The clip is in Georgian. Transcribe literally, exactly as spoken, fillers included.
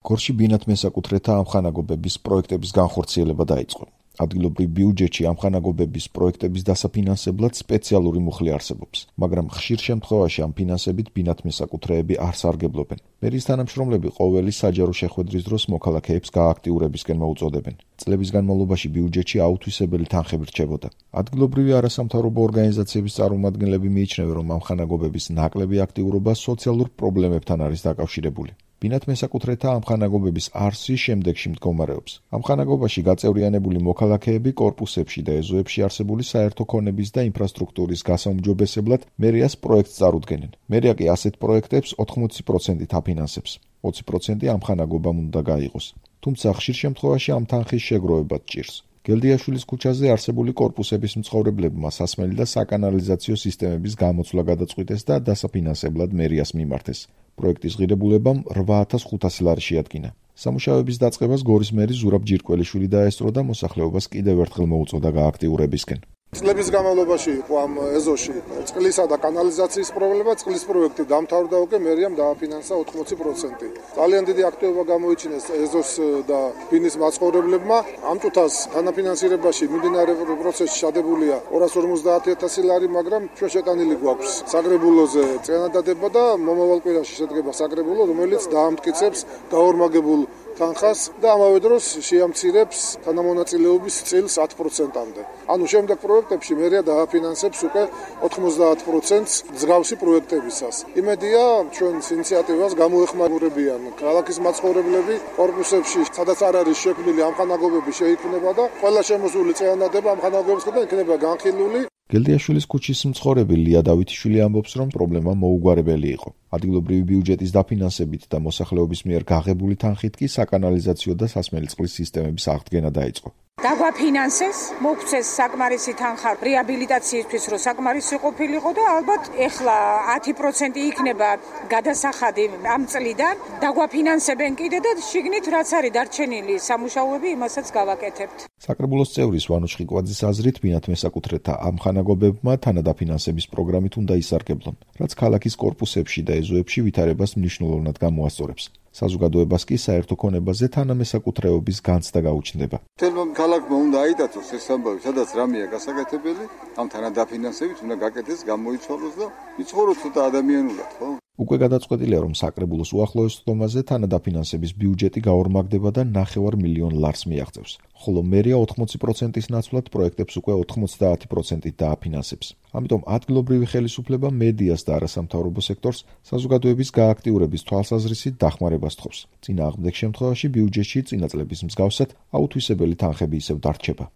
გორში ბინათ მესაკუთრეთა ამხანაგობების პროექტების განხორციელება დაიწყო. ადგილობრივ ბიუჯეტში ამხანაგობების პროექტების დასაფინანსებლად სპეციალური მუხლი არსებობს, მაგრამ ხშირ შემთხვევაში ამ ფინანსებით ბინათ მესაკუთრეები არ სარგებლობენ. მერის თანამშრომლები ყოველი საჯარო შეხვედრის დროს მოქალაქეებს გააქტიურებისკენ მოუწოდებენ. წლების განმავლობაში ბიუჯეტში აუთვისებელი თანხები რჩებოდა. ადგილობრივი არასამთავრობო ორგანიზაციების წარმომადგენლები მიიჩნევენ, რომ ამხანაგობების ნაკლები აქტიურობა სოციალურ პრობლემებთან არის დაკავშირებული. ბინათ მესაკუთრეთა ამხანაგობების არსი შემდეგში მდგომარეობს. ამხანაგობაში გაწევრიანებული მოქალაქეები კორპუსებში და ეზოებში არსებული საერთო ქონების და ინფრასტრუქტურის გასაუმჯობესებლად მერიას პროექტს წარუდგენენ. მერია კი ასეთ პროექტებს ოთხმოცი პროცენტით აფინანსებს. ოცი პროცენტი ამხანაგობამ უნდა გაიღოს. თუმცა ხშირ შემთხვევაში ამ თანხის შეგროვებაც ჭირს. გელდიაშვილის ქუჩაზე არსებული კორპუსების მცხოვრებლებმა სასმელი და საკანალიზაციო სისტემების გამოცვლა გადაწყვიტეს და დასაფინანსებლად მერიას მიმართეს. პროექტის ღირებულებამ რვა ათას ხუთასი ლარი შეადგინა. სამუშაოების დაწყებას გორის მერი ზურაბ ჯირკველიშვილი დაესწრო და მოსახლეობას კიდევ ერთხელ მოუწოდა გააქტიურებისკენ. წლების განმავლობაში იყო ამ ეზოში წყლისა და კანალიზაციის პრობლემა, წყლის პროექტი დამთავრდა უკვე, მერიამ დააფინანსა ოთხმოცი პროცენტი. ძალიან დიდი აქტივობა გამოიჩინეს ეზოს და ბინის მაცხოვრებლებმა. ამ წუთას თანაფინანსირებაში მიმდინარე პროცესში ჩადებულია ორას ორმოცდაათი ათასი ლარი, მაგრამ ჩვენ შეტანილი გვაქვს საგრებულოზე წინადადება და მომავალ კვირაში შედგება საგრებულო, რომელიც დაამტკიცებს გაორმაგებულ თანხას და ამავე დროს შეამცირებს თანამონაწილეობის წილს ათ პროცენტამდე. ანუ შემდეგ პროექტებში მერია დააფინანსებს უკვე ოთხმოცდაათ პროცენტს მსგავსი პროექტებისას. იმედია, ჩვენს ინიციატივას გამოეხმაურებიან ქალაქის მაცხოვრებლები, კორპუსებში, სადაც არ არის შექმნილი ამხანაგობები შეიქმნება და ყველა შემოსული წინადადება ამხანაგობებისგან იქნება განხილული. გელდიაშვილის ქუჩის მცხოვრები ლია დავითიშვილი ამბობს, რომ პრობლემა მოუგვარებელი იყო. ადგილობრივი ბიუჯეტის დაფინანსებით და მოსახლეობის მიერ გაღებული თანხით კი საკანალიზაციო და სასმელი წყლის სისტემების აღდგენა დაიწყო. დაგვაფინანსეს, მოგვცეს საკმარისი თანხა რეაბილიტაციისთვის, რომ საკმარისი ყოფილიყო და ალბათ ეხლა ათი პროცენტი იქნება გადასახადი ამ წლიდან. დაგვაფინანსებენ კიდე და შიგნით რაც არის დარჩენილი სამუშაოები, იმასაც გავაკეთებთ. საკრებულოს წევრის ვანო შხიკვაძის აზრით, ბინათ მესაკუთრეთა ამხანაგობებმა თანადაფინანსების პროგრამით უნდა ისარგებლონ, რაც ქალაქის კორპუსებში და ეზოებში ვითარებას მნიშვნელოვნად გამოასწორებს. საზოგადოებას კი საერთო ქონებაზე თანამესაკუთრეობის განცდა გაუჩნდება. თელმა ქალაქმა უნდა აიტაცოს ეს ამბავი, სადაც რამეა გასაკეთებელი, ამ თანადაფინანსებით უნდა გაკეთდეს, გამოიცვალოს და იცხოვროთ ცოტა ადამიანურად, ხო? უკვე გადაწყვეტილია, რომ საკრებულოს უახლოეს ხდომაზე თანადაფინანსების ბიუჯეტი გაორმაგდება და ნახევარ მილიონ ლარს მიაღწევს, ხოლო მერია ოთხმოცი პროცენტის ნაცვლად პროექტებს უკვე ოთხმოცდაათი პროცენტით დააფინანსებს. ამიტომ ადგილობრივი ხელისუფლება მედიას და არასამთავრობო სექტორს საზოგადოების გააქტიურების თვალსაზრისით დახმარებას თხოვს. წინააღმდეგ შემთხვევაში ბიუჯეტში წინა წლების მსგავსად აუთვისებელი თანხები ისევ დარჩება.